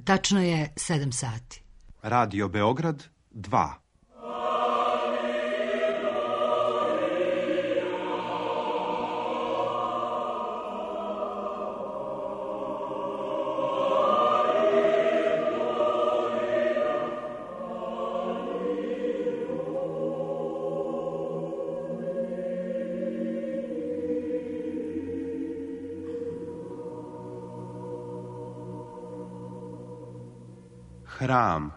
Tačno je 7 sati. Radio Beograd 2. Hram.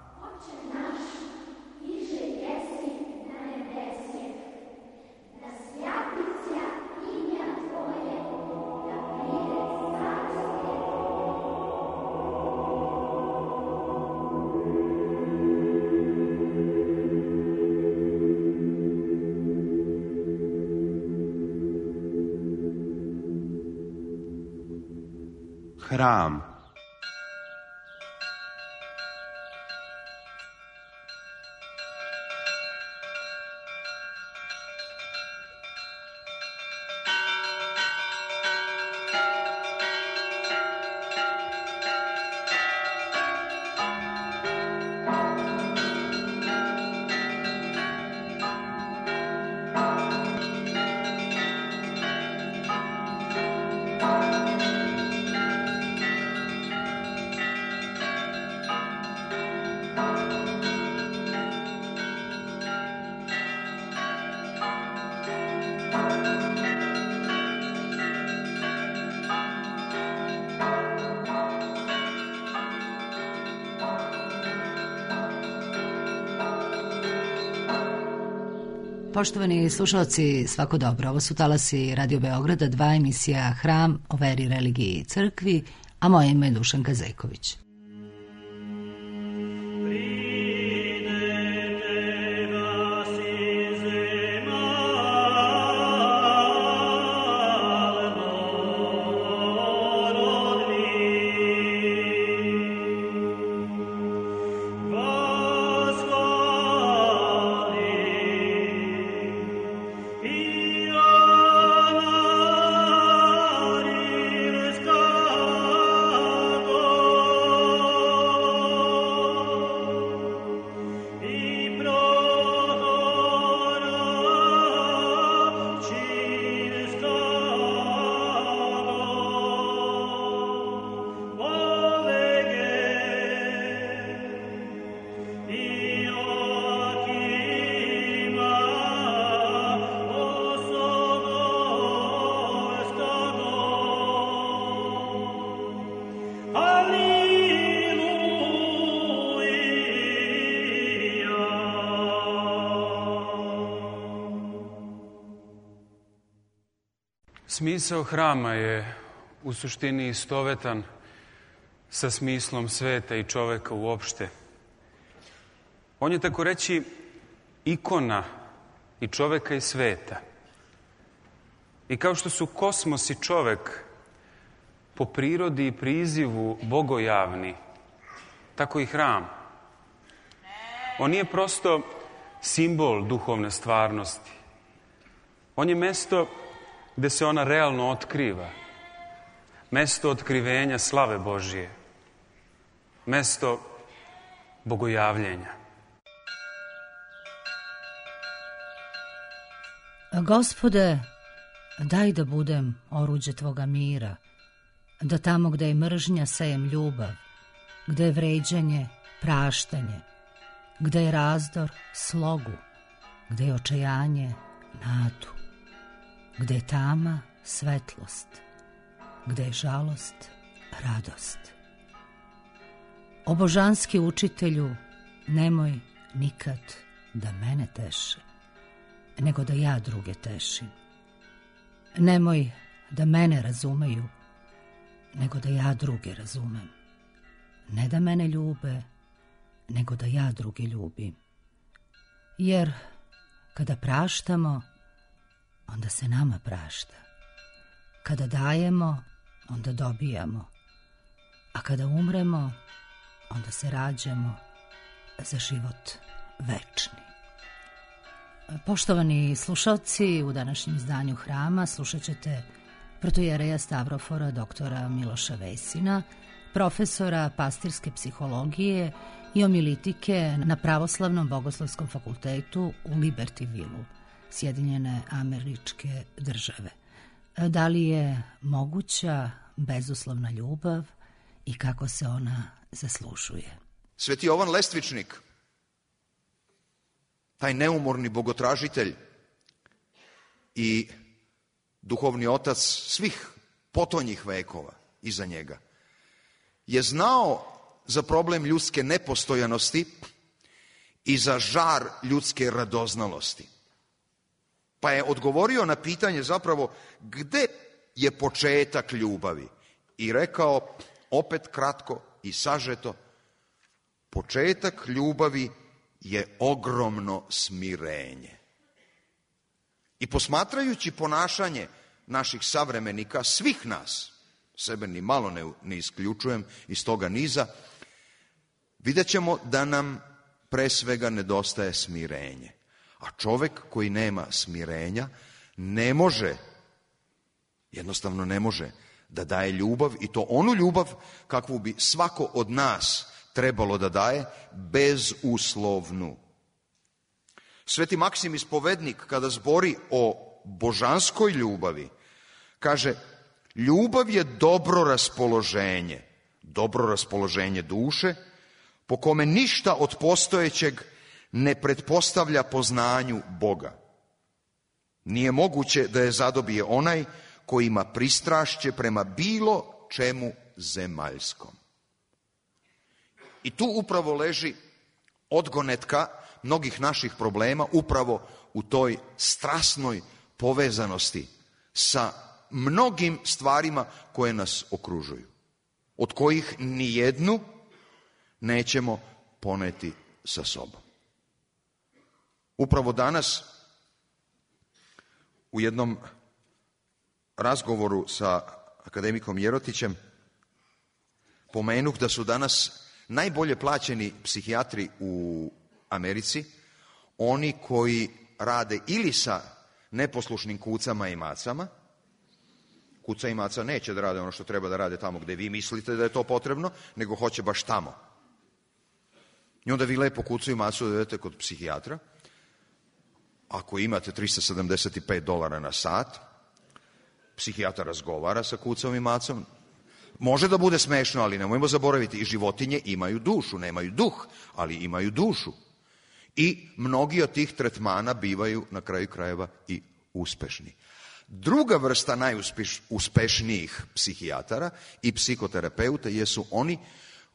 Hram. Poštovani slušalci, svako dobro. Ovo su talasi Radio Beograda 2, emisija Hram o veri, religiji i crkvi, a moje ime je Dušanka Zejković. Smisao hrama je u suštini istovetan sa smislom sveta i čoveka uopšte. On je, tako reći, ikona i čoveka i sveta. I kao što su kosmos i čovek po prirodi i prizivu bogojavni, tako i hram. On nije prosto simbol duhovne stvarnosti. On je mesto gde se ona realno otkriva. Mesto otkrivenja slave Božije. Mesto bogojavljenja. Gospode, daj da budem oruđe Tvoga mira, da tamo gde je mržnja sejem ljubav, gde je vređanje praštanje, gde je razdor slogu, gde je očajanje nadu, gde je tama svetlost, gde je žalost radost. O božanski učitelju, nemoj nikad da mene teše, nego da ja druge tešim. Nemoj da mene razumeju, nego da ja druge razumem. Ne da mene ljube, nego da ja druge ljubim. Jer kada praštamo, onda se nama prašta. Kada dajemo, onda dobijamo. A kada umremo, onda se rađamo za život večni. Poštovani slušalci, u današnjem izdanju Hrama slušat ćete protojereja Stavrofora doktora Miloša Vesina, profesora pastirske psihologije i omilitike na Pravoslavnom bogoslovskom fakultetu u Libertyvilu, Sjedinjene Američke Države. Da li je moguća bezuslovna ljubav i kako se ona zaslužuje? Sveti Jovan Lestvičnik, taj neumorni bogotražitelj i duhovni otac svih potonjih vekova iza njega, je znao za problem ljudske nepostojanosti i za žar ljudske radoznalosti. Pa je odgovorio na pitanje zapravo gde je početak ljubavi i rekao, opet kratko i sažeto, početak ljubavi je ogromno smirenje. I posmatrajući ponašanje naših savremenika, svih nas, sebe ni malo ne isključujem iz toga niza, vidjet ćemo da nam pre svega nedostaje smirenje. A čovek koji nema smirenja ne može, jednostavno ne može da daje ljubav, i to onu ljubav kakvu bi svako od nas trebalo da daje, bezuslovnu. Sveti Maksim Ispovednik, kada zbori o božanskoj ljubavi, kaže, ljubav je dobro raspoloženje duše, po kome ništa od postojećeg ne pretpostavlja poznanju Boga. Nije moguće da je zadobije onaj koji ima pristrašće prema bilo čemu zemaljskom. I tu upravo leži odgonetka mnogih naših problema, upravo u toj strasnoj povezanosti sa mnogim stvarima koje nas okružuju, od kojih ni jednu nećemo poneti sa sobom. Upravo danas u jednom razgovoru sa akademikom Jerotićem pomenuh da su danas najbolje plaćeni psihijatri u Americi oni koji rade ili sa neposlušnim kucama i macama. Kuca i maca neće da rade ono što treba da rade tamo gde vi mislite da je to potrebno, nego hoće baš tamo. I onda vi lepo kucu i macu dovedete kod psihijatra. Ako imate $375 na sat, psihijatar razgovara sa kucom i macom. Može da bude smešno, ali nemojmo zaboraviti, i životinje imaju dušu, nemaju duh, ali imaju dušu. I mnogi od tih tretmana bivaju na kraju krajeva i uspešni. Druga vrsta najuspešnijih psihijatara i psihoterapeuta jesu oni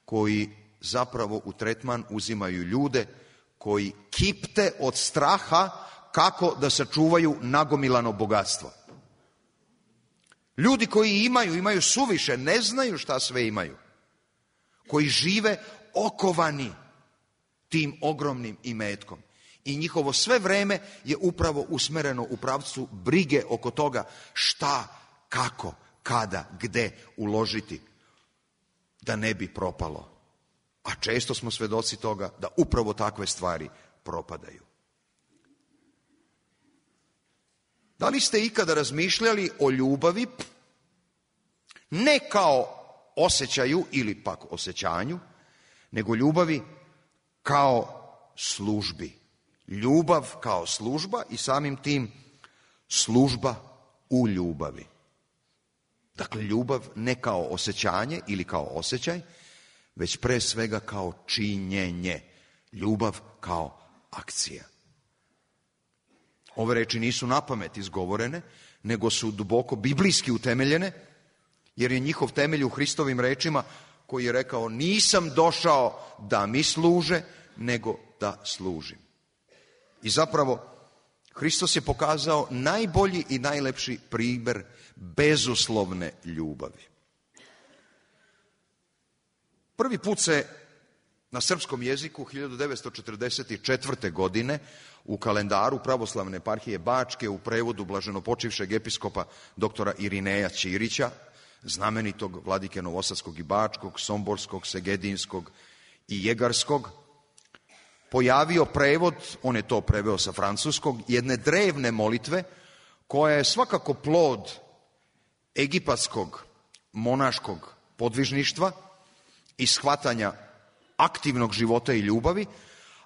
koji zapravo u tretman uzimaju ljude koji kipte od straha kako da sačuvaju nagomilano bogatstvo. Ljudi koji imaju suviše, ne znaju šta sve imaju. Koji žive okovani tim ogromnim imetkom. I njihovo sve vreme je upravo usmereno u pravcu brige oko toga šta, kako, kada, gde uložiti da ne bi propalo. A često smo svedoci toga da upravo takve stvari propadaju. Da li ste ikada razmišljali o ljubavi ne kao osjećaju ili pak osjećanju, nego ljubavi kao službi? Ljubav kao služba i samim tim služba u ljubavi. Dakle, ljubav ne kao osjećanje ili kao osjećaj, već pre svega kao činjenje. Ljubav kao akcija. Ove reči nisu napamet izgovorene, nego su duboko biblijski utemeljene, jer je njihov temelj u Hristovim rečima koji je rekao, nisam došao da mi služe, nego da služim. I zapravo, Hristos je pokazao najbolji i najlepši primer bezuslovne ljubavi. Prvi put se na srpskom jeziku 1944. godine u kalendaru Pravoslavne eparhije Bačke u prevodu blaženopočivšeg episkopa doktora Irineja Ćirića, znamenitog vladike Novosadskog i Bačkog, Somborskog, Segedinskog i Jegarskog, pojavio prevod, on je to preveo sa francuskog, jedne drevne molitve koja je svakako plod egipatskog monaškog podvižništva i shvatanja aktivnog života i ljubavi,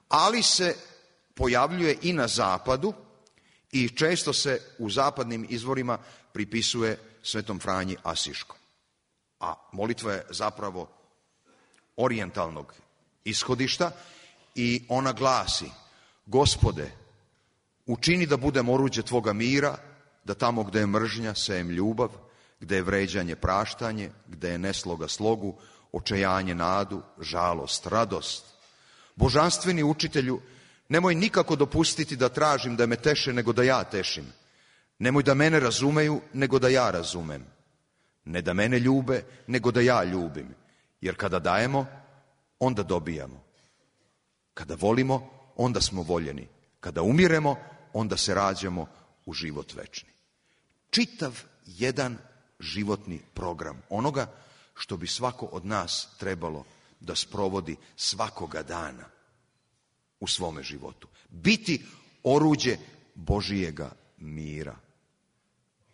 ali se pojavljuje i na zapadu i često se u zapadnim izvorima pripisuje Svetom Franji Asiškom. A molitva je zapravo orijentalnog ishodišta i ona glasi: Gospode, učini da budem oruđe Tvoga mira, da tamo gde je mržnja sejem ljubav, gde je vređanje praštanje, gde je nesloga slogu, očajanje nadu, žalost, radost. Božanstveni učitelju, nemoj nikako dopustiti da tražim da me teše nego da ja tešim. Nemoj da mene razumeju nego da ja razumem. Ne da mene ljube nego da ja ljubim. Jer kada dajemo, onda dobijamo. Kada volimo, onda smo voljeni. Kada umiremo, onda se rađamo u život večni. Čitav jedan životni program onoga što bi svako od nas trebalo da sprovodi svakoga dana u svome životu. Biti oruđe Božijega mira.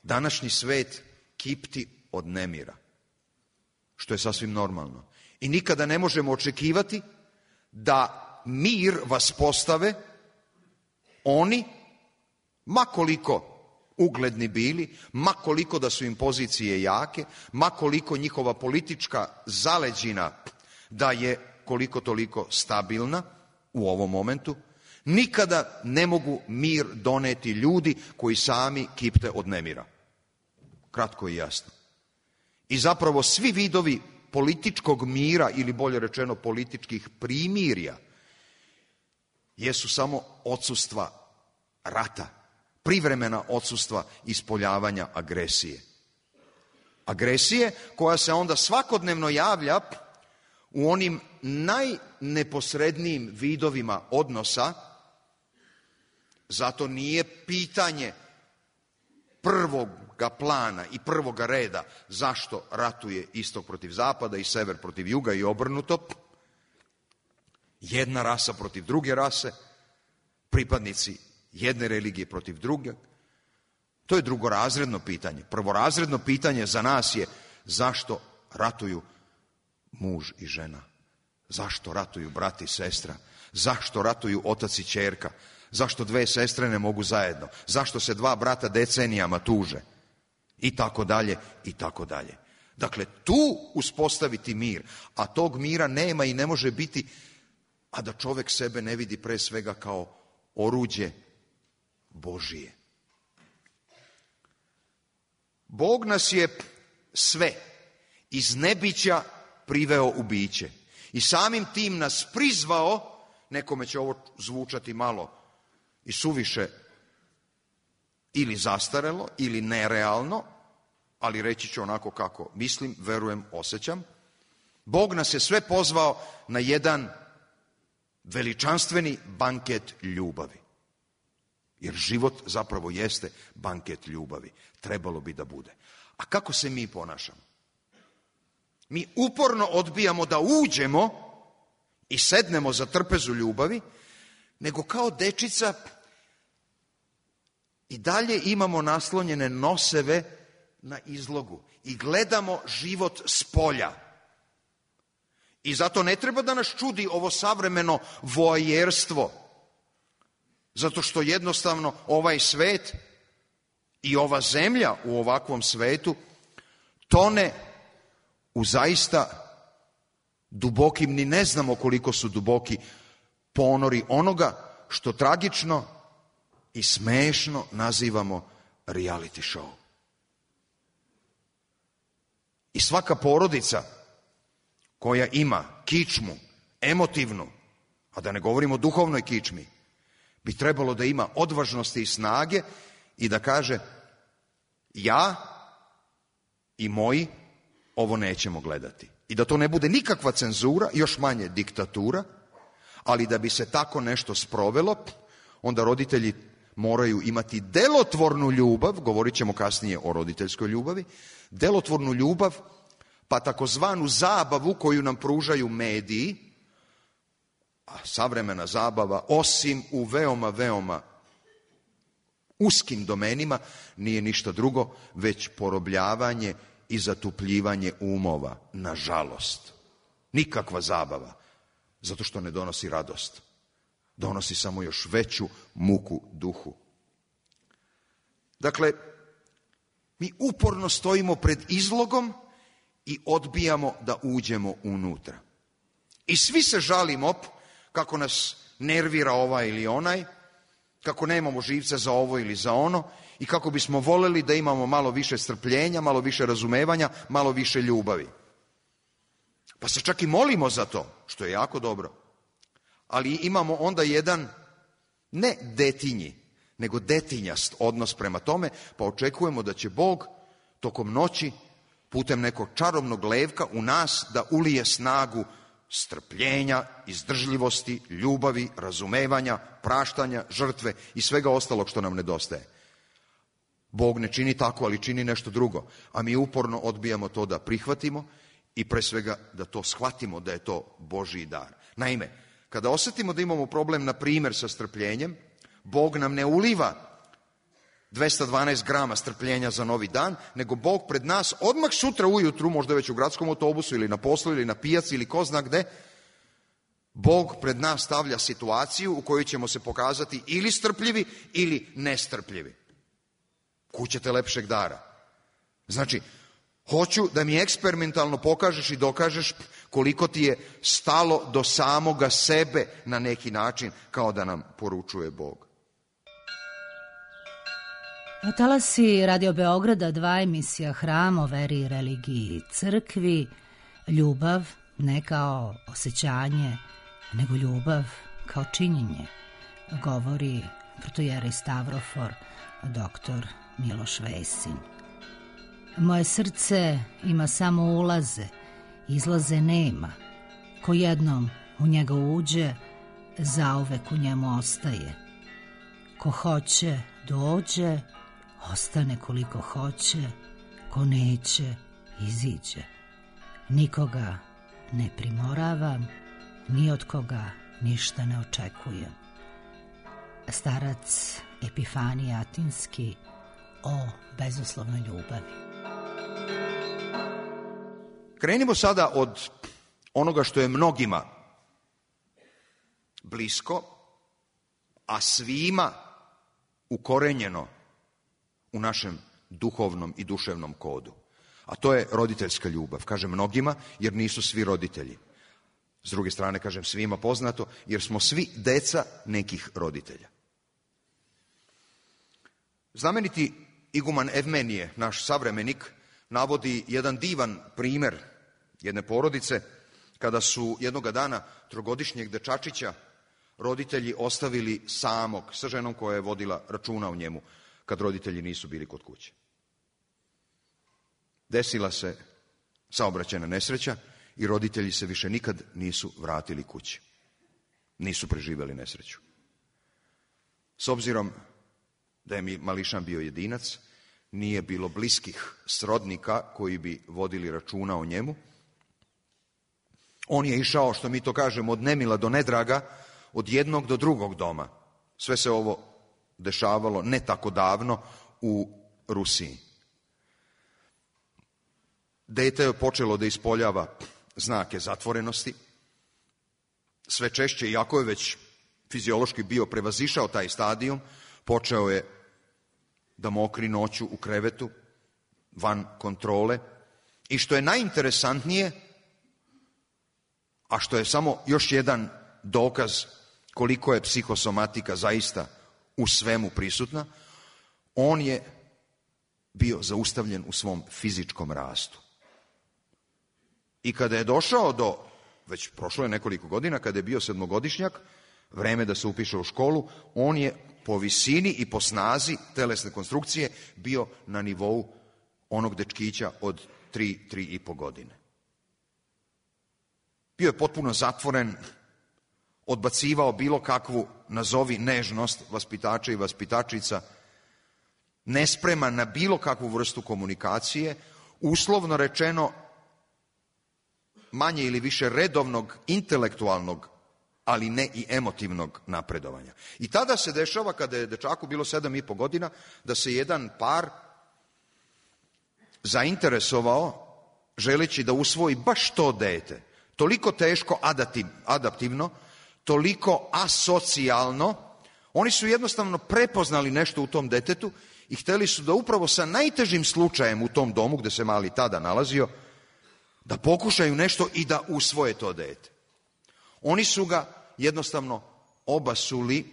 Današnji svet kipti od nemira, što je sasvim normalno. I nikada ne možemo očekivati da mir vas postave oni, ma koliko ugledni bili, ma koliko da su im pozicije jake, ma koliko njihova politička zaleđina da je koliko toliko stabilna u ovom momentu, nikada ne mogu mir doneti ljudi koji sami kipte od nemira. Kratko i jasno. I zapravo svi vidovi političkog mira, ili bolje rečeno političkih primirja, jesu samo odsustva rata, privremena odsustva ispoljavanja agresije. Agresije koja se onda svakodnevno javlja u onim najneposrednijim vidovima odnosa, zato nije pitanje prvoga plana i prvoga reda zašto ratuje istok protiv zapada i sever protiv juga i obrnuto, jedna rasa protiv druge rase, pripadnici jedne religije protiv druge. To je drugorazredno pitanje. Prvorazredno pitanje za nas je zašto ratuju muž i žena, zašto ratuju brat i sestra, zašto ratuju otac i ćerka, zašto dve sestre ne mogu zajedno, zašto se dva brata decenijama tuže, i tako dalje, i tako dalje. Dakle, tu uspostaviti mir, a tog mira nema i ne može biti, a da čovek sebe ne vidi pre svega kao oruđe Božije. Bog nas je sve iz nebića priveo u biće i samim tim nas prizvao, nekome će ovo zvučati malo i suviše ili zastarelo ili nerealno, ali reći ću onako kako mislim, verujem, osjećam. Bog nas je sve pozvao na jedan veličanstveni banket ljubavi. Jer život zapravo jeste banket ljubavi. Trebalo bi da bude. A kako se mi ponašamo? Mi uporno odbijamo da uđemo i sednemo za trpezu ljubavi, nego kao dečica i dalje imamo naslonjene noseve na izlogu i gledamo život s polja. I zato ne treba da nas čudi ovo savremeno voajerstvo, zato što jednostavno ovaj svet i ova zemlja u ovakvom svetu tone u zaista dubokim, ni ne znamo koliko su duboki ponori onoga što tragično i smešno nazivamo reality show. I svaka porodica koja ima kičmu, emotivnu, a da ne govorimo o duhovnoj kičmi, bi trebalo da ima odvažnosti i snage i da kaže: ja i moji ovo nećemo gledati. I da to ne bude nikakva cenzura, još manje diktatura, ali da bi se tako nešto sprovelo, onda roditelji moraju imati delotvornu ljubav, govorit ćemo kasnije o roditeljskoj ljubavi, delotvornu ljubav, pa takozvanu zabavu koju nam pružaju mediji, a savremena zabava, osim u veoma, veoma uskim domenima, nije ništa drugo, već porobljavanje i zatupljivanje umova, nažalost. nikakva zabava, zato što ne donosi radost. Donosi samo još veću muku duhu. Dakle, mi uporno stojimo pred izlogom i odbijamo da uđemo unutra. I svi se žalimo kako nas nervira ovaj ili onaj, kako nemamo živca za ovo ili za ono i kako bismo voljeli da imamo malo više strpljenja, malo više razumevanja, malo više ljubavi. Pa se čak i molimo za to, što je jako dobro. Ali imamo onda jedan ne detinji, nego detinjast odnos prema tome, pa očekujemo da će Bog tokom noći putem nekog čarobnog levka u nas da ulije snagu strpljenja, izdržljivosti, ljubavi, razumevanja, praštanja, žrtve i svega ostalog što nam nedostaje. Bog ne čini tako, ali čini nešto drugo, a mi uporno odbijamo to da prihvatimo i pre svega da to shvatimo da je to Božji dar. Naime, kada osjetimo da imamo problem, na primjer, sa strpljenjem, Bog nam ne uliva 212 grama strpljenja za novi dan, nego Bog pred nas odmah sutra ujutru, možda već u gradskom autobusu ili na poslu ili na pijaci ili ko zna gde, Bog pred nas stavlja situaciju u kojoj ćemo se pokazati ili strpljivi ili nestrpljivi. Kud ćete lepšeg dara? Znači, hoću da mi eksperimentalno pokažeš i dokažeš koliko ti je stalo do samoga sebe na neki način, kao da nam poručuje Bog. Talasi Radio Beograda 2, emisija Hram o veri i religiji i crkvi. Ljubav ne kao osjećanje, nego ljubav kao činjenje, govori protojerej Stavrofor, doktor Miloš Vesin. Moje srce ima samo ulaze, izlaze nema. Ko jednom u njega uđe, zauvek u njemu ostaje. Ko hoće, dođe, ostane koliko hoće, ko neće, iziđe. Nikoga ne primoravam, ni od koga ništa ne očekujem. Starac Epifanije Atinski o bezuslovnoj ljubavi. Krenimo sada od onoga što je mnogima blisko, a svima ukorenjeno u našem duhovnom i duševnom kodu. A to je roditeljska ljubav. Kažem mnogima jer nisu svi roditelji. S druge strane kažem svima poznato jer smo svi deca nekih roditelja. Znameniti iguman Evmenije, naš savremenik, navodi jedan divan primjer jedne porodice kada su jednoga dana trogodišnjeg dečačića roditelji ostavili samog sa ženom koja je vodila računa o njemu kad roditelji nisu bili kod kuće. Desila se saobraćajna nesreća i roditelji se više nikad nisu vratili kući. Nisu preživjeli nesreću. S obzirom da je mališan bio jedinac, nije bilo bliskih srodnika koji bi vodili računa o njemu. On je išao, što mi to kažemo, od nemila do nedraga, od jednog do drugog doma. Sve se ovo dešavalo ne tako davno u Rusiji. Dete je počelo da ispoljava znake zatvorenosti. Sve češće, iako je već fiziološki bio prevazišao taj stadijum, počeo je da mokri noću u krevetu, van kontrole. I što je najinteresantnije, a što je samo još jedan dokaz koliko je psihosomatika zaista u svemu prisutna, on je bio zaustavljen u svom fizičkom rastu. I kada je došao do, već prošlo je nekoliko godina, kada je bio 7-godišnjak, vreme da se upiše u školu, on je po visini i po snazi telesne konstrukcije bio na nivou onog dečkića od 3,5 godine. Bio je potpuno zatvoren, odbacivao bilo kakvu, nazovi, nežnost vaspitača i vaspitačica, nespreman na bilo kakvu vrstu komunikacije, uslovno rečeno manje ili više redovnog intelektualnog, ali ne i emotivnog napredovanja. I tada se dešava, kada je dečaku bilo 7,5 godina, da se jedan par zainteresovao želeći da usvoji baš to dete. toliko teško adaptivno, toliko asocijalno. Oni su jednostavno prepoznali nešto u tom detetu i hteli su da upravo sa najtežim slučajem u tom domu gde se mali tada nalazio, da pokušaju nešto i da usvoje to dete. Oni su ga jednostavno obasuli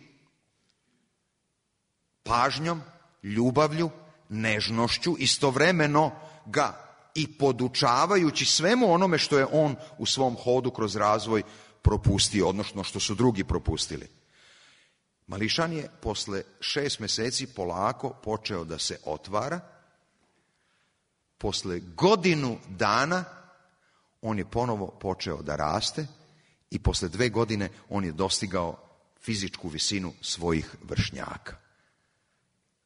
pažnjom, ljubavlju, nežnošću, istovremeno ga i podučavajući svemu onome što je on u svom hodu kroz razvoj propustio, odnosno što su drugi propustili. Mališan je posle 6 meseci polako počeo da se otvara. Posle godinu dana on je ponovo počeo da raste i posle 2 godine on je dostigao fizičku visinu svojih vršnjaka.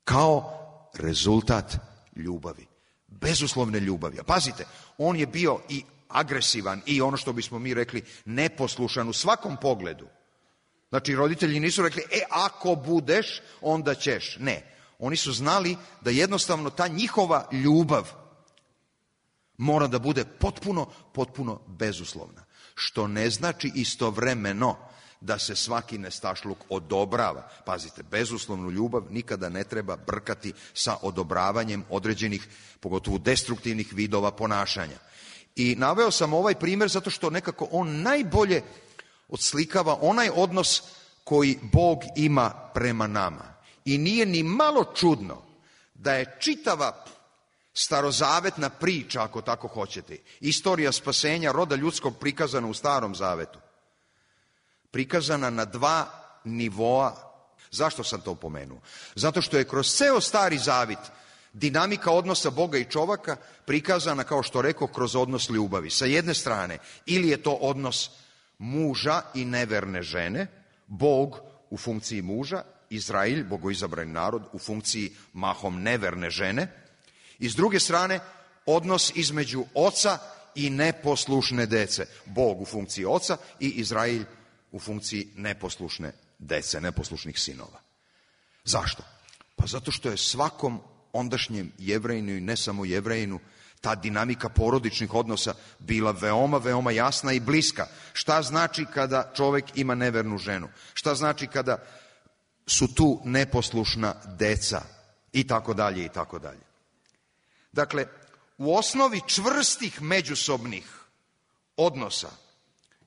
Kao rezultat ljubavi. Bezuslovne ljubavi. A pazite, on je bio i agresivan i ono što bismo mi rekli neposlušan u svakom pogledu. Znači, roditelji nisu rekli, ako budeš, onda ćeš. Ne, oni su znali da jednostavno ta njihova ljubav mora da bude potpuno bezuslovna. Što ne znači istovremeno da se svaki nestašluk odobrava. Pazite, bezuslovnu ljubav nikada ne treba brkati sa odobravanjem određenih, pogotovo destruktivnih vidova ponašanja. I naveo sam ovaj primjer zato što nekako on najbolje odslikava onaj odnos koji Bog ima prema nama. I nije ni malo čudno da je čitava starozavetna priča, ako tako hoćete, istorija spasenja roda ljudskog prikazana u Starom Zavetu, prikazana na 2 nivoa. Zašto sam to pomenuo? Zato što je kroz ceo Stari Zavit dinamika odnosa Boga i čoveka prikazana, kao što rekao, kroz odnos ljubavi. Sa jedne strane, ili je to odnos muža i neverne žene, Bog u funkciji muža, Izrael, bogoizabrani narod, u funkciji mahom neverne žene, i s druge strane, odnos između oca i neposlušne dece, Bog u funkciji oca i Izrael u funkciji neposlušne dece, neposlušnih sinova. Zašto? Pa zato što je svakom ondašnjem Jevrejinu i ne samo Jevrejinu ta dinamika porodičnih odnosa bila veoma jasna i bliska. Šta znači kada čovek ima nevernu ženu? Šta znači kada su tu neposlušna deca? I tako dalje, i tako dalje. Dakle, u osnovi čvrstih međusobnih odnosa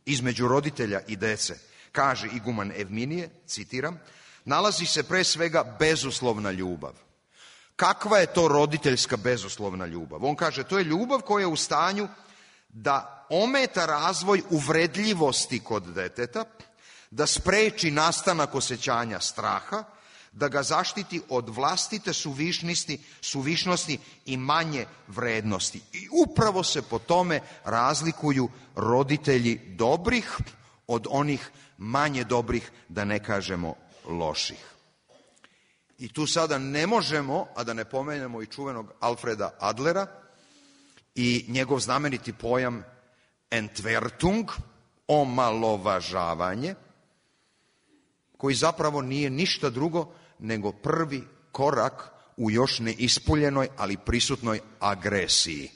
između roditelja i dece, kaže iguman Evminije, citiram, nalazi se pre svega bezuslovna ljubav. Kakva je to roditeljska bezuslovna ljubav? On kaže, to je ljubav koja je u stanju da ometa razvoj uvredljivosti kod deteta, da spreči nastanak osjećanja straha, da ga zaštiti od vlastite suvišnosti i manje vrednosti. I upravo se po tome razlikuju roditelji dobrih od onih manje dobrih, da ne kažemo loših. I tu sada ne možemo, a da ne pomenemo i čuvenog Alfreda Adlera i njegov znameniti pojam Entwertung, omalovažavanje, koji zapravo nije ništa drugo nego prvi korak u još neispoljenoj, ali prisutnoj agresiji.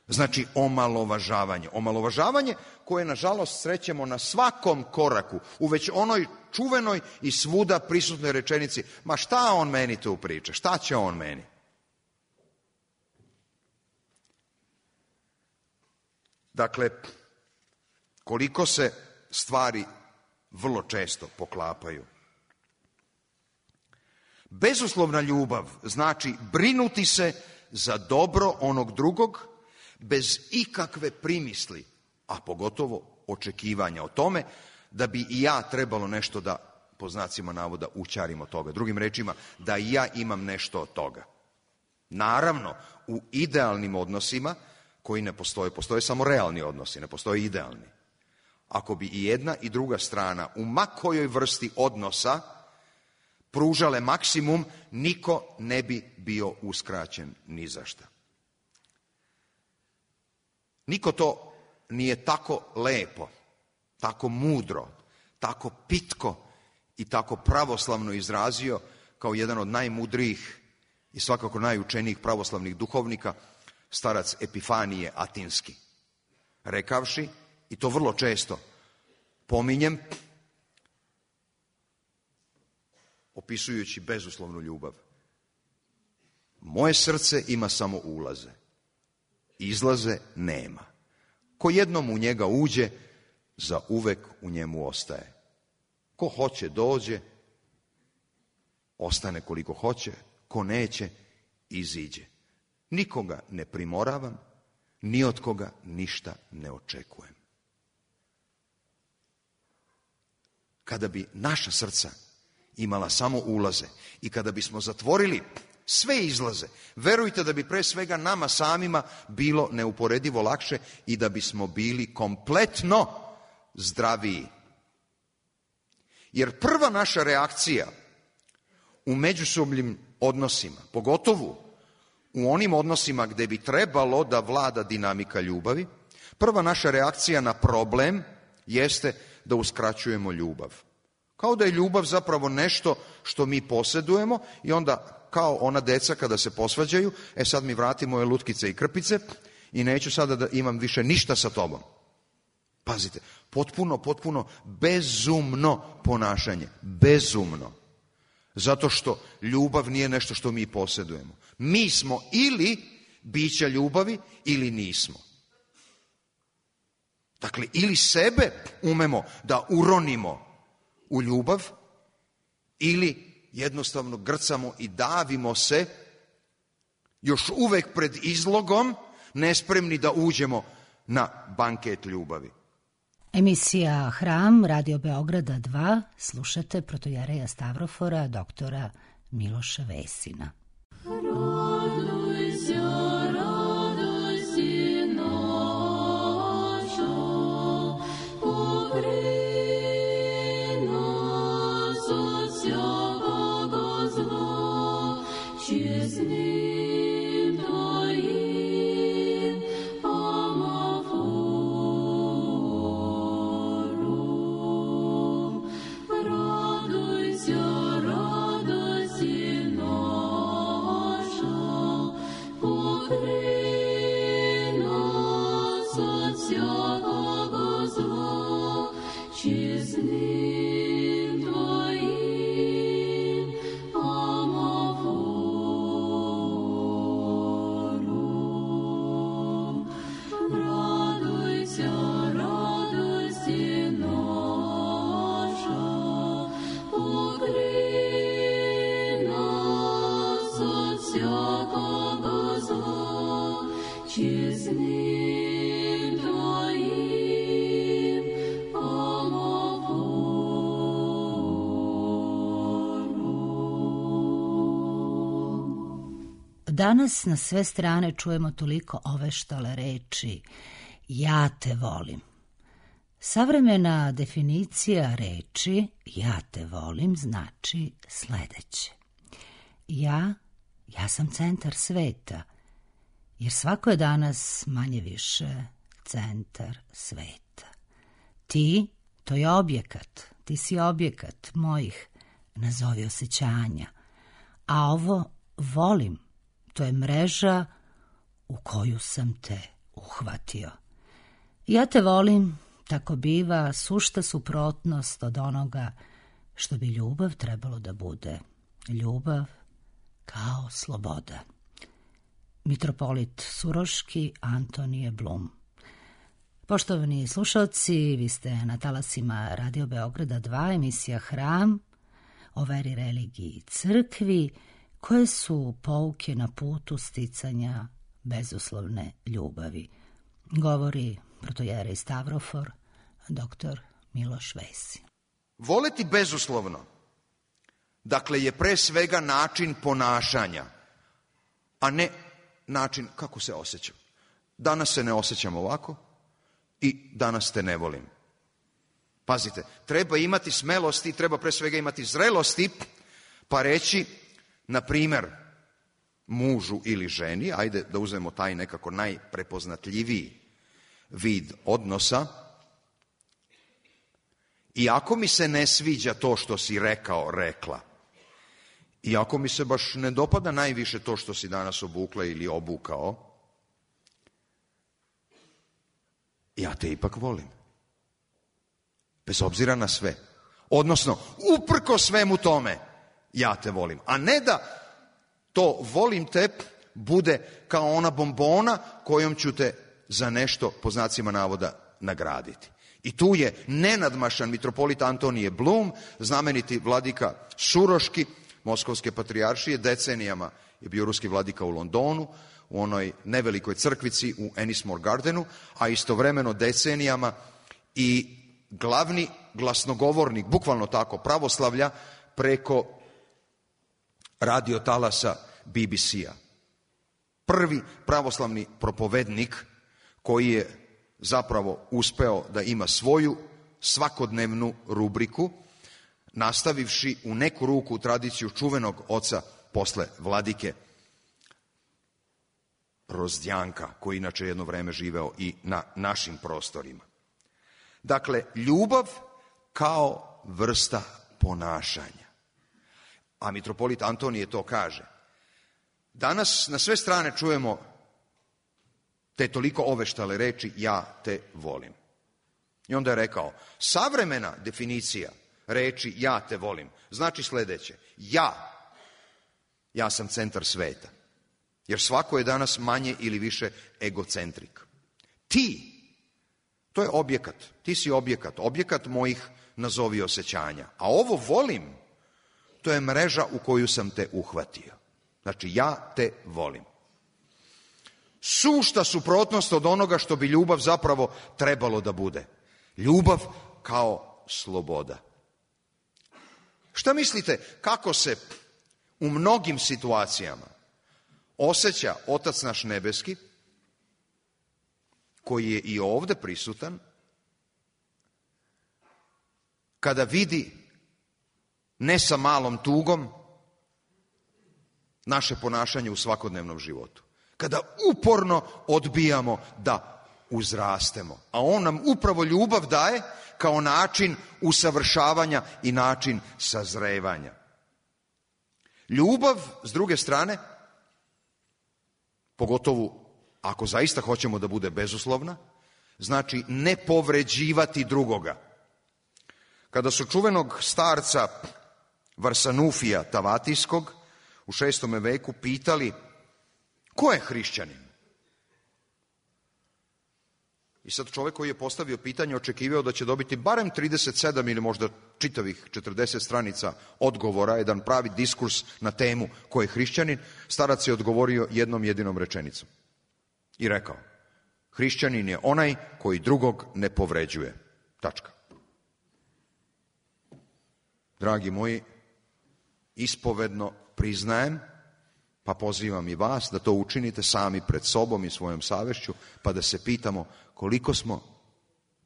Znači omalovažavanje. Omalovažavanje koje, nažalost, srećemo na svakom koraku, u već onoj čuvenoj i svuda prisutnoj rečenici, ma šta on meni tu priča, šta će on meni? Dakle, koliko se stvari vrlo često poklapaju. Bezuslovna ljubav znači brinuti se za dobro onog drugog bez ikakve primisli, a pogotovo očekivanja o tome da bi i ja trebalo nešto da, po znacima navoda, ućarim od toga. Drugim rečima, da i ja imam nešto od toga. Naravno, u idealnim odnosima koji ne postoje, postoje samo realni odnosi, ne postoje idealni. Ako bi i jedna i druga strana u ma kojoj vrsti odnosa pružale maksimum, niko ne bi bio uskraćen ni za šta. Niko to nije tako lepo, tako mudro, tako pitko i tako pravoslavno izrazio kao jedan od najmudrijih i svakako najučenijih pravoslavnih duhovnika, starac Epifanije Atinski, rekavši, i to vrlo često pominjem, opisujući bezuslovnu ljubav. Moje srce ima samo ulaze, izlaze nema. Ko jednom u njega uđe, za uvek u njemu ostaje. Ko hoće dođe, ostane koliko hoće, ko neće, iziđe. Nikoga ne primoravam, ni od koga ništa ne očekujem. Kada bi naša srca imala samo ulaze i kada bismo zatvorili sve izlaze, verujte da bi pre svega nama samima bilo neuporedivo lakše i da bismo bili kompletno zdraviji. Jer prva naša reakcija u međusobnim odnosima, pogotovo u onim odnosima gde bi trebalo da vlada dinamika ljubavi, prva naša reakcija na problem jeste da uskraćujemo ljubav. Kao da je ljubav zapravo nešto što mi posjedujemo i onda kao ona deca kada se posvađaju, sad mi vrati moje lutkice i krpice i neću sada da imam više ništa sa tobom. Pazite, potpuno bezumno ponašanje. Bezumno. Zato što ljubav nije nešto što mi posjedujemo. Mi smo ili bića ljubavi ili nismo. Dakle, ili sebe umemo da uronimo u ljubav ili jednostavno grcamo i davimo se još uvek pred izlogom, nespremni da uđemo na banket ljubavi. Emisija Hram, Radio Beograda 2, slušate protojereja Stavrofora, doktora Miloša Vesina. Danas na sve strane čujemo toliko oveštale reči ja te volim. Savremena definicija reči ja te volim znači sledeće. Ja sam centar sveta, jer svako je danas manje više centar sveta. Ti, to je objekat, ti si objekat mojih, nazovi osjećanja, a ovo volim, to je mreža u koju sam te uhvatio. Ja te volim, tako biva, sušta suprotnost od onoga što bi ljubav trebalo da bude. Ljubav kao sloboda. Mitropolit Suroški, Antonije Blum. Poštovani slušalci, vi ste na talasima Radio Beograda 2, emisija Hram, o veri, religiji i crkvi, koje su pouke na putu sticanja bezuslovne ljubavi. Govori protojerej Stavrofor, doktor Miloš Vesin. Voleti bezuslovno, dakle, je pre svega način ponašanja, a ne način kako se osjećam. Danas se ne osjećam ovako i danas te ne volim. Pazite, treba imati smelosti, treba pre svega imati zrelosti, pa reći, na primer, mužu ili ženi, ajde da uzmemo taj nekako najprepoznatljiviji vid odnosa, iako mi se ne sviđa to što si rekao, rekla, iako mi se baš ne dopada najviše to što si danas obukla ili obukao, ja te ipak volim. bez obzira na sve. Odnosno, uprko svemu tome, ja te volim. A ne da to volim te bude kao ona bombona kojom ću te za nešto, po znacima navoda, nagraditi. I tu je nenadmašan mitropolit Antonije Blum, znameniti vladika Suroški, Moskovske patrijaršije, decenijama je bio ruski vladika u Londonu, u onoj nevelikoj crkvici u Ennismore Gardenu, a istovremeno decenijama i glavni glasnogovornik, bukvalno tako, pravoslavlja preko radiotalasa BBC-a. Prvi pravoslavni propovednik koji je zapravo uspeo da ima svoju svakodnevnu rubriku, nastavivši u neku ruku tradiciju čuvenog oca posle vladike Rozdjanka, koji inače jedno vreme živeo i na našim prostorima. Dakle, ljubav kao vrsta ponašanja. A mitropolit Antonije to kaže. Danas na sve strane čujemo te toliko oveštale reči ja te volim. I onda je rekao, savremena definicija reči ja te volim znači sledeće. Ja sam centar sveta. Jer svako je danas manje ili više egocentrik. Ti, to je objekat. Ti si objekat mojih nazovi osjećanja. A ovo volim, to je mreža u koju sam te uhvatio. Znači, ja te volim. Sušta suprotnost od onoga što bi ljubav zapravo trebalo da bude. Ljubav kao sloboda. Šta mislite, kako se u mnogim situacijama osjeća Otac naš nebeski, koji je i ovde prisutan, kada vidi, ne sa malom tugom, naše ponašanje u svakodnevnom životu? Kada uporno odbijamo da uzrastemo, a on nam upravo ljubav daje kao način usavršavanja i način sazrevanja. Ljubav, s druge strane, pogotovo ako zaista hoćemo da bude bezuslovna, znači ne povređivati drugoga. Kada su čuvenog starca Varsanufija Tavatijskog u 6. veku pitali ko je hrišćanin? I sad čovjek koji je postavio pitanje očekivao da će dobiti barem 37 ili možda čitavih 40 stranica odgovora, jedan pravi diskurs na temu ko je hrišćanin. Starac je odgovorio jednom jedinom rečenicom i rekao, hrišćanin je onaj koji drugog ne povređuje. Tačka. Dragi moji, ispovedno priznajem, pa pozivam i vas da to učinite sami pred sobom i svojom savešću, pa da se pitamo koliko smo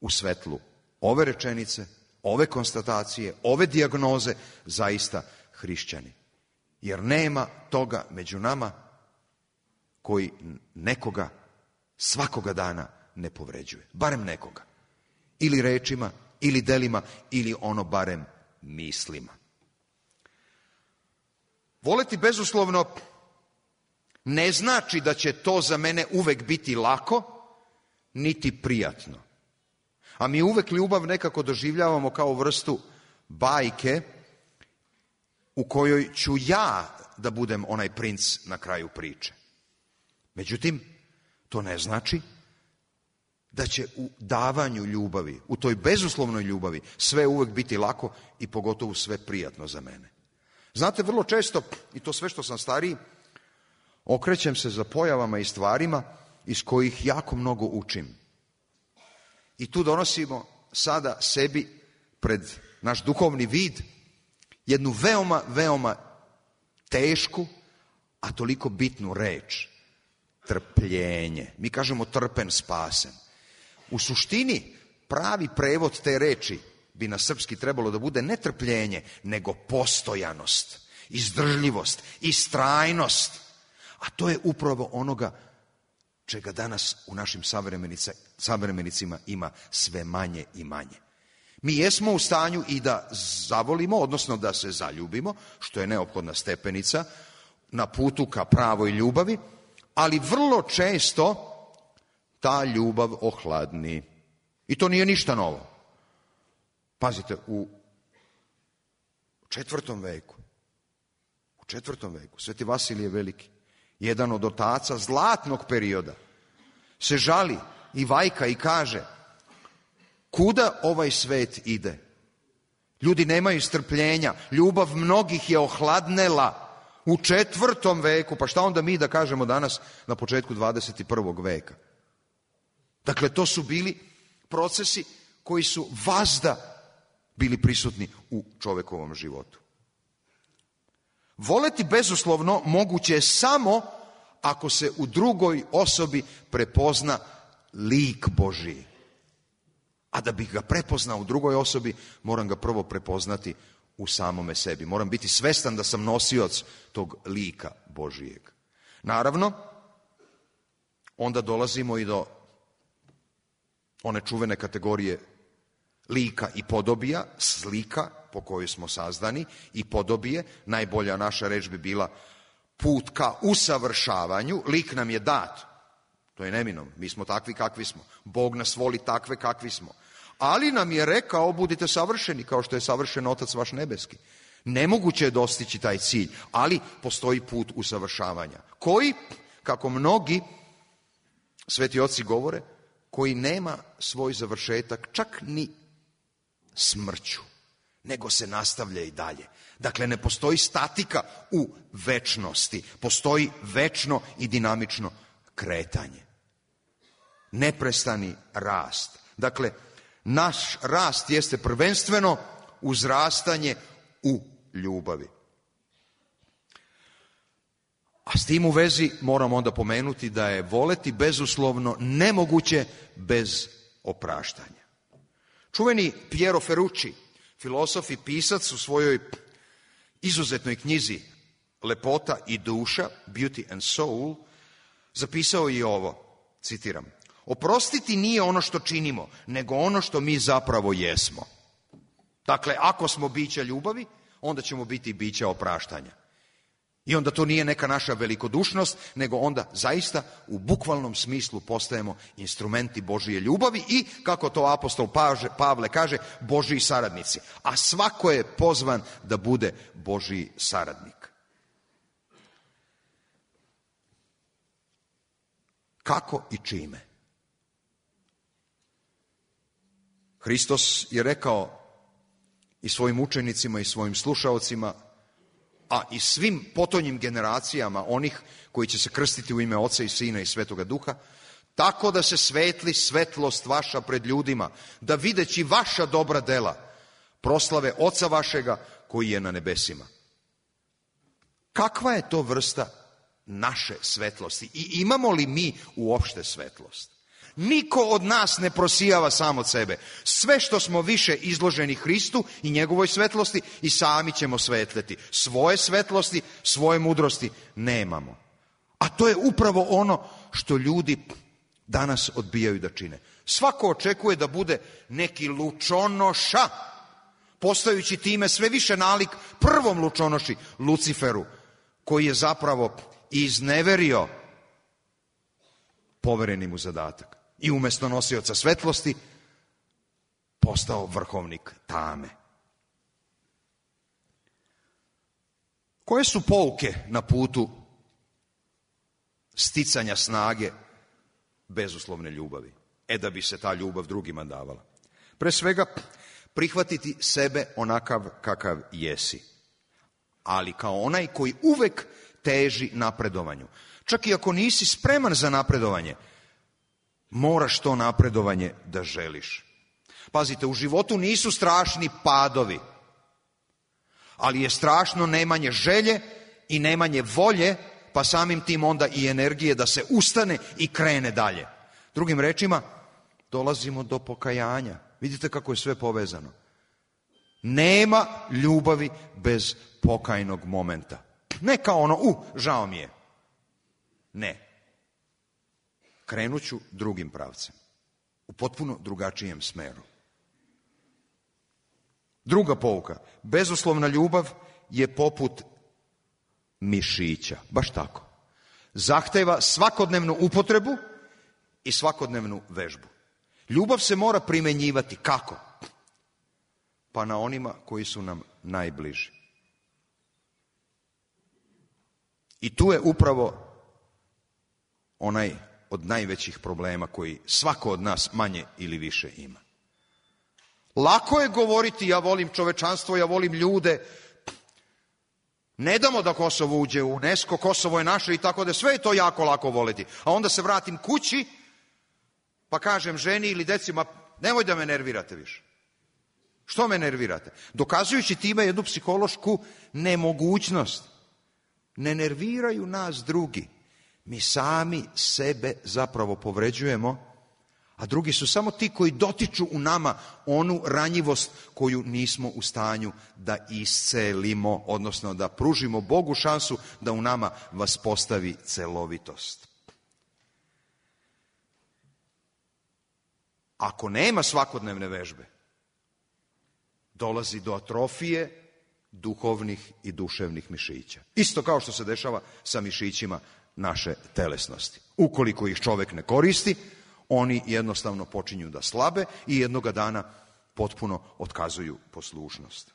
u svetlu ove rečenice, ove konstatacije, ove dijagnoze zaista hrišćani. Jer nema toga među nama koji nekoga svakoga dana ne povređuje. Barem nekoga. Ili rečima, ili delima, ili ono barem mislima. Voleti bezuslovno ne znači da će to za mene uvek biti lako, niti prijatno. A mi uvek ljubav nekako doživljavamo kao vrstu bajke u kojoj ću ja da budem onaj princ na kraju priče. Međutim, to ne znači da će u davanju ljubavi, u toj bezuslovnoj ljubavi, sve uvek biti lako i pogotovo sve prijatno za mene. Znate, vrlo često, i to sve što sam stariji, okrećem se za pojavama i stvarima iz kojih jako mnogo učim. I tu donosimo sada sebi pred naš duhovni vid jednu veoma, veoma tešku, a toliko bitnu reč. Trpljenje. Mi kažemo trpen, spasen. U suštini, pravi prevod te reči bi na srpski trebalo da bude ne trpljenje, nego postojanost, izdržljivost, istrajnost. A to je upravo onoga čega danas u našim savremenicima ima sve manje i manje. Mi jesmo u stanju i da zavolimo, odnosno da se zaljubimo, što je neophodna stepenica na putu ka pravoj ljubavi, ali vrlo često ta ljubav ohladni. I to nije ništa novo. Pazite, u 4. veku, Sveti Vasilije Veliki, jedan od otaca zlatnog perioda, se žali i vajka i kaže: kuda ovaj svet ide? Ljudi nemaju strpljenja, ljubav mnogih je ohladnela u 4. veku, pa šta onda mi da kažemo danas na početku 21. veka? Dakle, to su bili procesi koji su vazda bili prisutni u čovekovom životu. Voleti bezuslovno moguće je samo ako se u drugoj osobi prepozna lik Božiji. A da bih ga prepoznao u drugoj osobi, moram ga prvo prepoznati u samome sebi. Moram biti svestan da sam nosioc tog lika Božijeg. Naravno, onda dolazimo i do one čuvene kategorije lika i podobija, slika po kojoj smo sazdani i podobije. Najbolja naša reč bi bila put ka usavršavanju. Lik nam je dat. To je neminovno. Mi smo takvi kakvi smo. Bog nas voli takve kakvi smo. Ali nam je rekao: budite savršeni kao što je savršen Otac vaš nebeski. Nemoguće je dostići taj cilj, ali postoji put usavršavanja. Koji, kako mnogi sveti oci govore, koji nema svoj završetak čak ni smrću, nego se nastavlja i dalje. Dakle, ne postoji statika u večnosti. Postoji večno i dinamično kretanje. Neprestani rast. Dakle, naš rast jeste prvenstveno uzrastanje u ljubavi. A s tim u vezi moram onda pomenuti da je voleti bezuslovno nemoguće bez opraštanja. Čuveni Piero Ferrucci, filozof i pisac, u svojoj izuzetnoj knjizi Lepota i duša, Beauty and Soul, zapisao i ovo, citiram: oprostiti nije ono što činimo, nego ono što mi zapravo jesmo. Dakle, ako smo bića ljubavi, onda ćemo biti i bića opraštanja. I onda to nije neka naša velikodušnost, nego onda zaista u bukvalnom smislu postajemo instrumenti Božije ljubavi i, kako to apostol Pavle kaže, Božiji saradnici. A svako je pozvan da bude Božiji saradnik. Kako i čime? Hristos je rekao i svojim učenicima i svojim slušaocima, a i svim potonjim generacijama onih koji će se krstiti u ime Oca i Sina i Svetoga Duha, tako da se svetli svetlost vaša pred ljudima, da videći vaša dobra dela proslave Oca vašega koji je na nebesima. Kakva je to vrsta naše svetlosti i imamo li mi uopšte svetlost? Niko od nas ne prosijava sam od sebe. Sve što smo više izloženi Hristu i njegovoj svetlosti, i sami ćemo svetleti. Svoje svetlosti, svoje mudrosti nemamo. A to je upravo ono što ljudi danas odbijaju da čine. Svako očekuje da bude neki lučonoša, postajući time sve više nalik prvom lučonoši, Luciferu, koji je zapravo izneverio povereni mu zadatak. I umjesto nosioca svetlosti postao vrhovnik tame. Koje su pouke na putu sticanja snage bezuslovne ljubavi? Da bi se ta ljubav drugima davala. Pre svega, prihvatiti sebe onakav kakav jesi, ali kao onaj koji uvek teži napredovanju. Čak i ako nisi spreman za napredovanje, moraš to napredovanje da želiš. Pazite, u životu nisu strašni padovi, ali je strašno nemanje želje i nemanje volje, pa samim tim onda i energije da se ustane i krene dalje. Drugim rečima, dolazimo do pokajanja. Vidite kako je sve povezano. Nema ljubavi bez pokajnog momenta. Ne kao ono, žao mi je. Ne. Krenut ću drugim pravcem. U potpuno drugačijem smeru. Druga pouka. Bezuslovna ljubav je poput mišića. Baš tako. Zahteva svakodnevnu upotrebu i svakodnevnu vežbu. Ljubav se mora primenjivati. Kako? pa na onima koji su nam najbliži. I tu je upravo onaj od najvećih problema koji svako od nas manje ili više ima. Lako je govoriti ja volim čovečanstvo, ja volim ljude, ne damo da Kosovo uđe u UNESCO, Kosovo je naše i tako da sve je to jako lako voliti. A onda se vratim kući pa kažem ženi ili decima nemoj da me nervirate više. Što me nervirate? Dokazujući time jednu psihološku nemogućnost. Ne nerviraju nas drugi. Mi sami sebe zapravo povređujemo, a drugi su samo ti koji dotiču u nama onu ranjivost koju nismo u stanju da iscelimo, odnosno da pružimo Bogu šansu da u nama vaspostavi celovitost. Ako nema svakodnevne vežbe, dolazi do atrofije duhovnih i duševnih mišića. Isto kao što se dešava sa mišićima naše telesnosti. Ukoliko ih čovek ne koristi, oni jednostavno počinju da slabe i jednoga dana potpuno otkazuju poslušnost.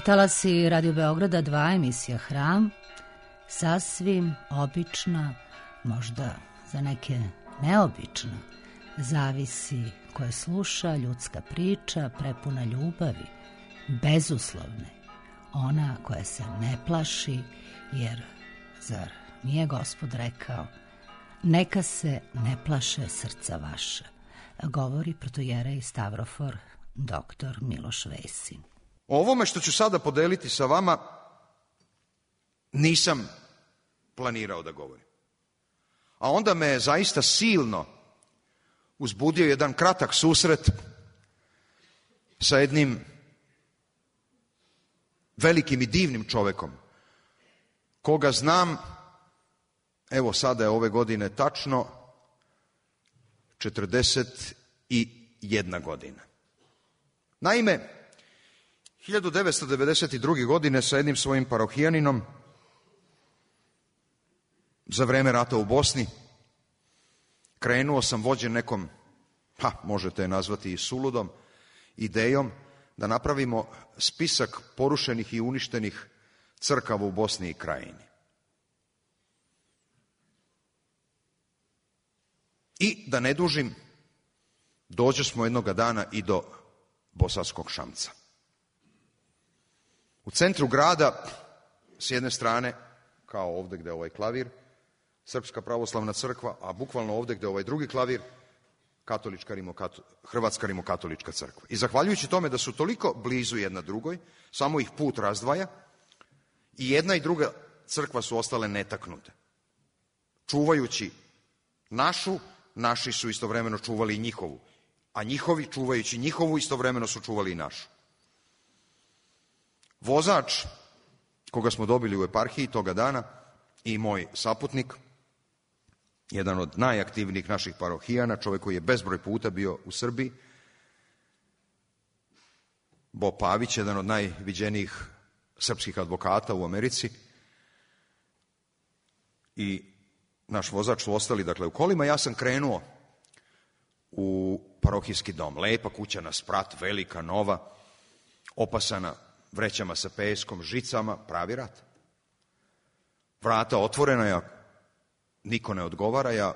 Talasi Radio Beograda 2, emisija Hram, sasvim obična, možda za neke neobična, zavisi koje sluša, ljudska priča, prepuna ljubavi, bezuslovne, ona koja se ne plaši, jer zar nije Gospod rekao, neka se ne plaše srca vaša, govori protojerej Stavrofor, doktor Miloš Vesin. O ovome što ću sada podeliti sa vama nisam planirao da govorim. A onda me je zaista silno uzbudio jedan kratak susret sa jednim velikim i divnim čovekom, koga znam, evo sada je ove godine tačno 41 godina. Naime, 1992. godine sa jednim svojim parohijaninom za vreme rata u Bosni krenuo sam vođen nekom, možete je nazvati i suludom, idejom da napravimo spisak porušenih i uništenih crkava u Bosni i Krajini. I da ne dužim, dođe smo jednoga dana i do Bosanskog Šamca. U centru grada, s jedne strane, kao ovdje gde je ovaj klavir, Srpska pravoslavna crkva, a bukvalno ovdje gde je ovaj drugi klavir, Hrvatska rimokatolička crkva. I zahvaljujući tome da su toliko blizu jedna drugoj, samo ih put razdvaja, i jedna i druga crkva su ostale netaknute. Čuvajući našu, naši su istovremeno čuvali i njihovu, a njihovi, čuvajući njihovu, istovremeno su čuvali i našu. Vozač, koga smo dobili u eparhiji toga dana, i moj saputnik, jedan od najaktivnijih naših parohijana, čovjek koji je bezbroj puta bio u Srbiji, Bo Pavić, jedan od najviđenijih srpskih advokata u Americi, i naš vozač su ostali, dakle, u kolima. Ja sam krenuo u parohijski dom. Lepa kuća na sprat, velika, nova, opasana vrećama sa peskom, žicama, pravi rat. Vrata otvorena, ja, niko ne odgovara, ja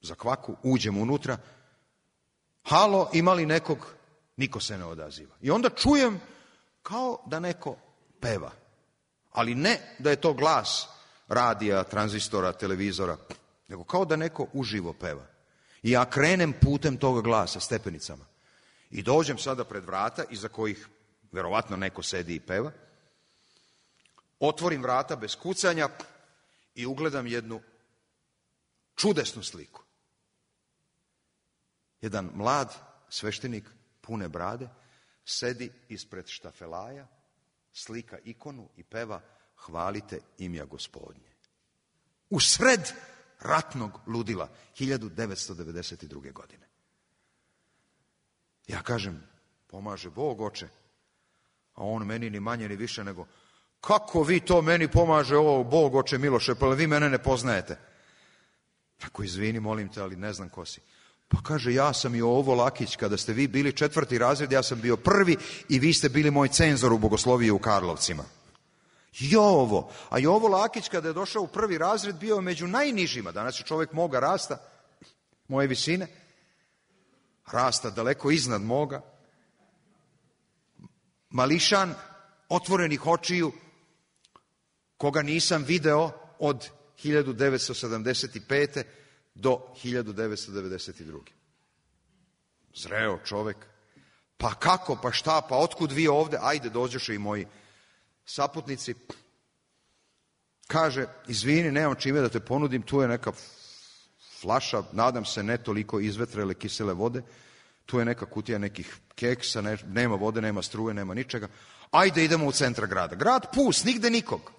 za kvaku uđem unutra. Halo, ima li nekog? Niko se ne odaziva. I onda čujem kao da neko peva. Ali ne da je to glas radija, tranzistora, televizora, nego kao da neko uživo peva. I ja krenem putem toga glasa, stepenicama. I dođem sada pred vrata, iza kojih verovatno neko sedi i peva. Otvorim vrata bez kucanja i ugledam jednu čudesnu sliku. Jedan mlad sveštenik pune brade sedi ispred štafelaja, slika ikonu i peva Hvalite imja Gospodnje. U sred ratnog ludila 1992. godine. Ja kažem, pomaže Bog, oče, a on meni ni manje ni više nego, kako vi to meni pomaže ovo, Bog, oče Miloše, pa vi mene ne poznajete. Ako izvini, molim te, ali ne znam ko si. Pa kaže, ja sam Jovo Lakić, kada ste vi bili 4. razred, ja sam bio 1. i vi ste bili moj cenzor u bogosloviji u Karlovcima. Jovo. A Jovo Lakić, kada je došao u 1. razred, bio među najnižima. Danas je čovjek moga rasta, moje visine, rasta daleko iznad moga. Mališan, otvorenih očiju, koga nisam video od 1975. do 1992. Zreo čovek. Pa kako, pa šta, pa otkud vi ovde? Ajde, dođoše i moji saputnici. Kaže, izvini, nemam čime da te ponudim, tu je neka flaša, nadam se ne toliko izvetrele kisele vode, tu je neka kutija nekih keksa, nema vode, nema struje, nema ničega. Ajde, idemo u centar grada. Grad pust, nigde nikog.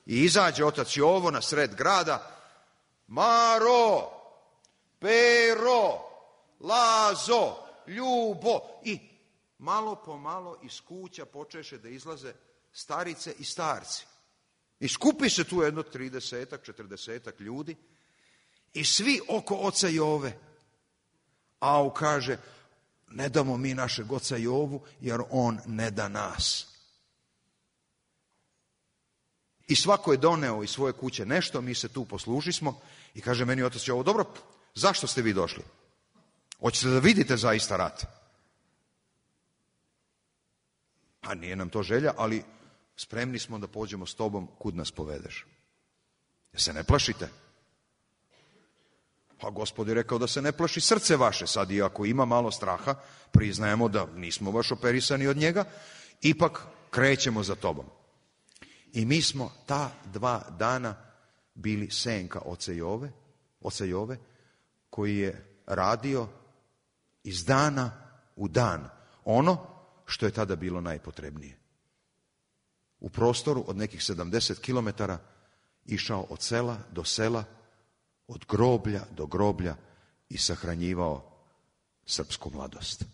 I izađe otac Jovo na sred grada. Maro, Pero, Lazo, Ljubo. I malo po malo iz kuća počeše da izlaze starice i starci. I skupi se tu jedno 30-ak, 40-ak ljudi i svi oko oca Jove. Au, kaže, ne damo mi našeg oca Jovu, jer on ne da nas. I svako je doneo iz svoje kuće nešto, mi se tu poslužismo i kaže meni otac Jovo, dobro, zašto ste vi došli? Hoćete da vidite zaista rat? A nije nam to želja, ali spremni smo da pođemo s tobom kud nas povedeš. Jer se ne plašite? Pa Gospod je rekao da se ne plaši srce vaše. Sad i ako ima malo straha, priznajemo da nismo baš operisani od njega, ipak krećemo za tobom. I mi smo ta 2 dana bili senka oca Jove, koji je radio iz dana u dan ono što je tada bilo najpotrebnije. U prostoru od nekih 70 kilometara išao od sela do sela, od groblja do groblja i sahranjivao srpsku mladost.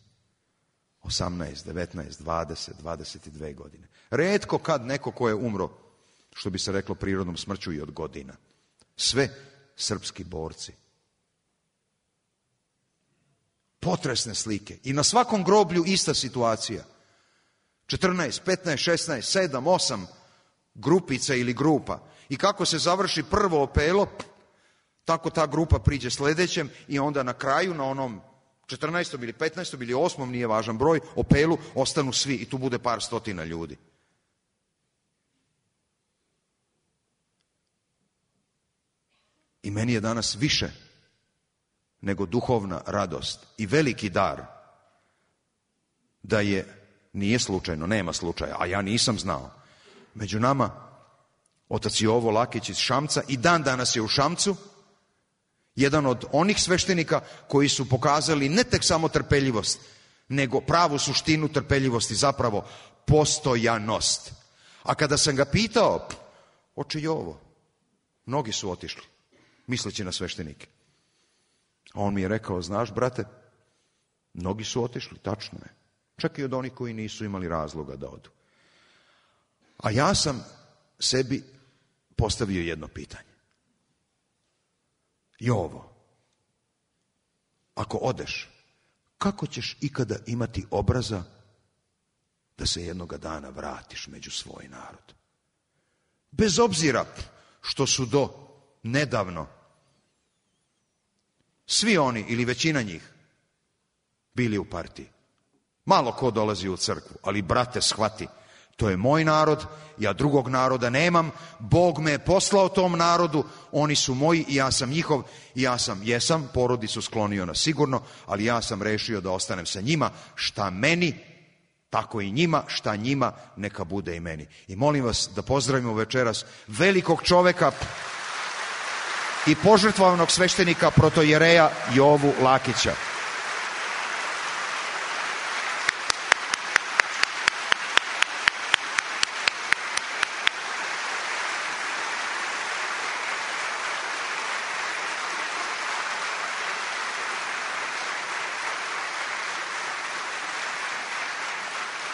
18, 19, 20, 22 godine. Retko kad neko ko je umro, što bi se reklo prirodnom smrću i od godina. Sve srpski borci. Potresne slike. I na svakom groblju ista situacija. 14, 15, 16, 7, 8 grupica ili grupa. I kako se završi prvo opelo, tako ta grupa priđe sledećem i onda na kraju, na onom 14. ili 15. ili 8. nije važan broj, opelu ostanu svi i tu bude par stotina ljudi. I meni je danas više nego duhovna radost i veliki dar da nije slučajno, nema slučaja, a ja nisam znao. Među nama otac Jovo Lakić iz Šamca i dan danas je u Šamcu, jedan od onih sveštenika koji su pokazali ne tek samo trpeljivost, nego pravu suštinu trpeljivosti, zapravo postojanost. A kada sam ga pitao, oče Jovo, mnogi su otišli, misleći na sveštenike. A on mi je rekao, znaš, brate, mnogi su otišli, tačno je. Čak i od onih koji nisu imali razloga da odu. A ja sam sebi postavio jedno pitanje. Jovo, ako odeš, kako ćeš ikada imati obraza da se jednoga dana vratiš među svoj narod? Bez obzira što su do nedavno svi oni ili većina njih bili u partiji. Malo ko dolazi u crkvu, ali brate, shvati, to je moj narod, ja drugog naroda nemam, Bog me je poslao tom narodu, oni su moji i ja sam njihov, i ja jesam, porodicu sklonio na sigurno, ali ja sam rešio da ostanem sa njima, šta meni, tako i njima, šta njima, neka bude i meni. I molim vas da pozdravimo večeras velikog čoveka i požrtvovanog sveštenika protojereja Jovu Lakića.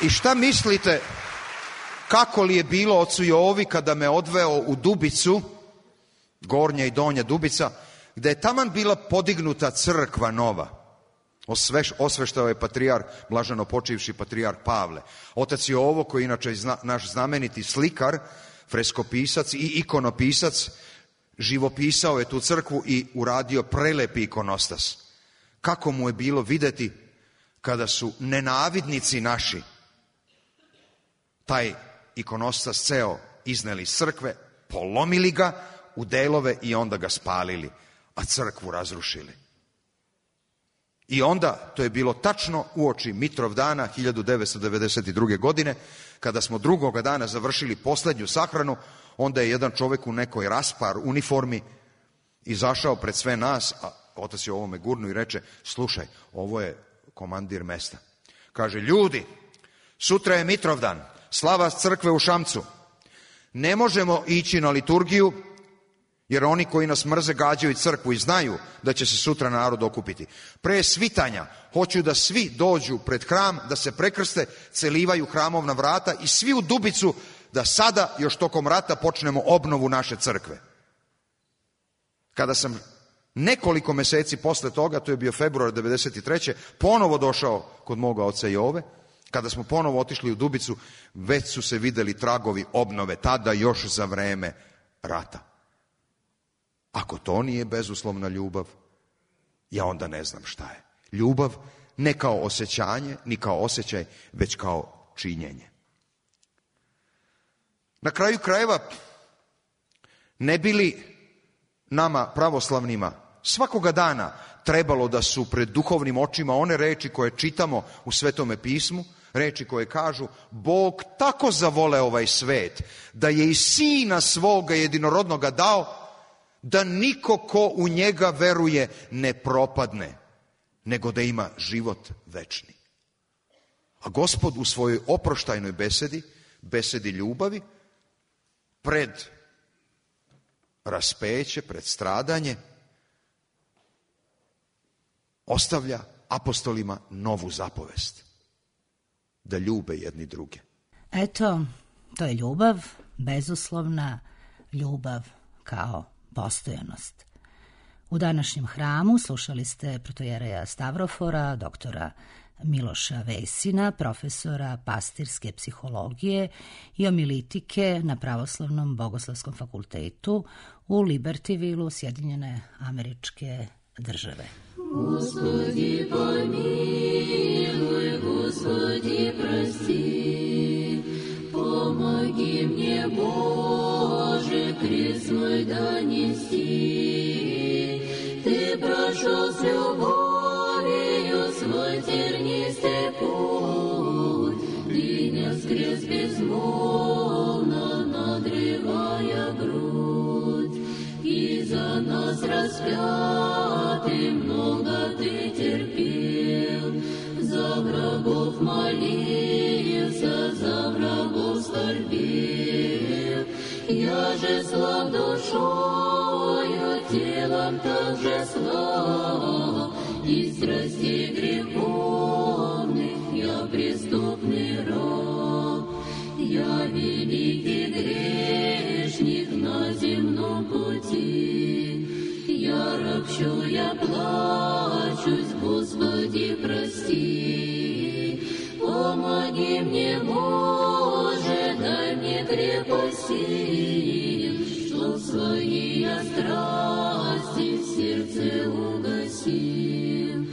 I šta mislite kako li je bilo ocu Jovi kada me odveo u Dubicu, Gornja i Donja Dubica, gde je taman bila podignuta crkva nova. Osveštao je patrijarh, blaženo počivši patrijarh Pavle. Otac Jovo, koji je inače naš znameniti slikar, freskopisac i ikonopisac, živopisao je tu crkvu i uradio prelepi ikonostas. Kako mu je bilo videti kada su nenavidnici naši taj ikonostas ceo izneli iz crkve, polomili ga u delove i onda ga spalili, a crkvu razrušili. I onda, to je bilo tačno uoči Mitrovdana 1992. godine, kada smo drugoga dana završili poslednju sahranu, onda je jedan čovek u nekoj raspar uniformi izašao pred sve nas, a otac je ovome gurnu i reče, slušaj, ovo je komandir mesta. Kaže, ljudi, sutra je Mitrovdan, slava crkve u Šamcu. Ne možemo ići na liturgiju, jer oni koji nas mrze gađaju crkvu i znaju da će se sutra narod okupiti. Pre svitanja hoću da svi dođu pred hram, da se prekrste, celivaju hramovna vrata i svi u Dubicu da sada, još tokom rata, počnemo obnovu naše crkve. Kada sam nekoliko meseci posle toga, to je bio februar 1993. ponovo došao kod moga oca Jove, kada smo ponovo otišli u Dubicu, već su se videli tragovi obnove, tada još za vreme rata. Ako to nije bezuslovna ljubav, ja onda ne znam šta je. Ljubav ne kao osjećanje, ni kao osjećaj, već kao činjenje. Na kraju krajeva, ne bi li nama pravoslavnima svakoga dana trebalo da su pred duhovnim očima one reči koje čitamo u Svetome pismu, reči koje kažu, Bog tako zavole ovaj svet, da je i Sina svoga jedinorodnoga dao, da niko ko u njega veruje ne propadne, nego da ima život večni. A Gospod u svojoj oproštajnoj besedi, besedi ljubavi, pred raspeće, pred stradanje, ostavlja apostolima novu zapovest, da ljube jedni druge. Eto, to je ljubav, bezuslovna ljubav kao postojanost. U današnjem hramu slušali ste protojereja Stavrofora, doktora Miloša Vesina, profesora pastirske psihologije i omilitike na Pravoslavnom bogoslovskom fakultetu u Libertyvilu, Sjedinjene Američke Države. Господи, помилуй, Господи, прости, помоги мне, Боже, крест мой донести. Ты прошел с любовью свой тернистый путь, и нес крест безмолвно, надрывая грудь, и за нас распятый много ты терпел, за врагов молился, за врагов скорбел. Я же слаб душою, телом также слаб, и страстей греховных я преступный раб. Я великий грешник на земном пути, я ропщу, я плачусь, Господи, прости. Помоги мне, Боже, дай мне крепости, чтоб свои я страсти в сердце угасил.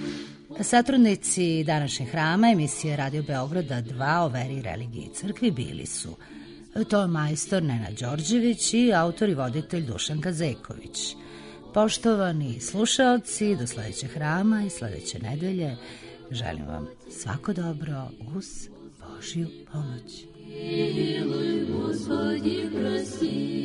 Satrudnici današnjeg hrama emisije Radio Beograda 2 o veri, religiji i crkvi bili su ton majstor Nenad Đorđević i autor i voditelj Dušan Kazeković. Poštovani slušaoci, do sledećeg hrama i sledeće nedelje želim vam svako dobro uz Božju pomoć. Miluj, Gospodi, prosti.